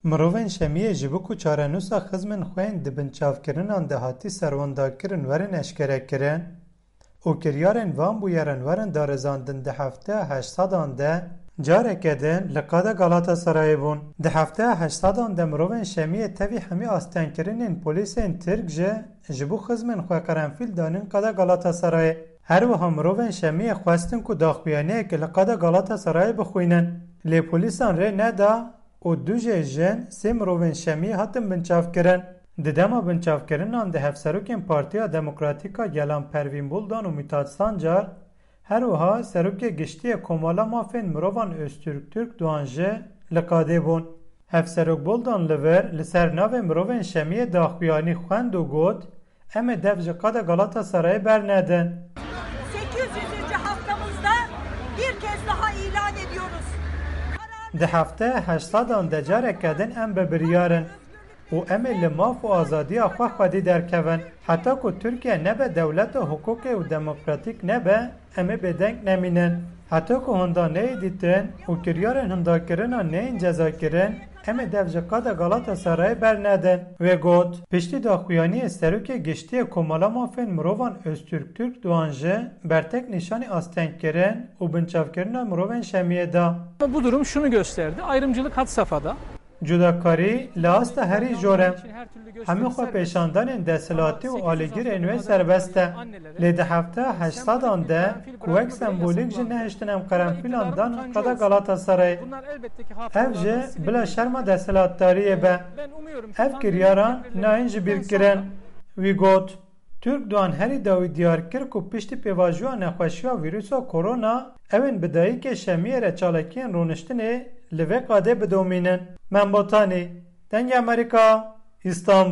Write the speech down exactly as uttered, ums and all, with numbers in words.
Mirovên Şemiyê ji bo ku çarenûsa xizmên xwe yên di binçavkirinan de hatî serwendakirin werin eşkerekirin û kiryarên van bûyeran werin darizandin di hefteya heşt sedan de careke din li qada Galatasarayê bûn. Di hefteya heşt sedan de mirovên Şemiyê tevî hemî astengkirinên polîsên Tirk jî ji bo xizmên xwe qerenfîl danin qada Galatasarayê. Her wiha mirovên Şemiyê xwestin ku daxuyaniyeke li qada Galatasarayê bixwînin. Lê polîsan rê neda û du jê jin sê mirovên Şemiyê hatin binçavkirin. Di dema binçavkirinan de hevserokên Partiya Demokratîk a Gelan Pervîn Buldan û Mithat Sancar, her wiha serokê giştî yê Komala Mafên Mirovan Öztürk Türkdoğan jî li qadê bûn. Hevserok Buldan li vir li ser navê mirovên Şemiyê daxuyanî xwend û got, Em ê dev ji qada Galatasarayê bernedin. Sekiz yüzüncü haftamızda bir kez daha ilan ediyoruz. Di hefteya heşt sedan de careke din em bi biryar in û em ê li maf û azadiya xwe xwedî derkevin. Heta ku Tirkiye nebe dewleta hiqûqê û demokratîk nebe, em ê bêdeng nemînin. Heta ku hinda neyê dîtin û kiryarên hindakirina neyên cezakirin, em ê dev ji qada Galatasarayê bernedin. Wê got, Piştî daxuyaniyê serokê giştî yê Komala Mafên Mirovan Öztürk Türkdoğan jî bertek nîşanî astengkirin û binçavkirina mirovên Şemiyê da. Ama bu durum şunu gösterdi. Ayrımcılık had safhada. Cudakarî li asta herî jor e. Hemî xwe pêşandanên desthilatî û alîgirên wê serbest e. Lê di hefteya heşt sedan de ku wek sembolîk jî nehiştin em qerenfîlan dan qada Galatasarayê. Ev jî bila şerma desthilatdariyê be. Ev kiryaran nayên ji bîr kirin. Wî got, Türkdoğan herî dawî diyar kir ku piştî pêvajoya nexweşiya vîrusa korona, ew ên bi dayikê Şemiyê re çalakiyên rûniştinê li vê qadê bidomînin. Membotanî, Dengê Amerîka, Îstanbul.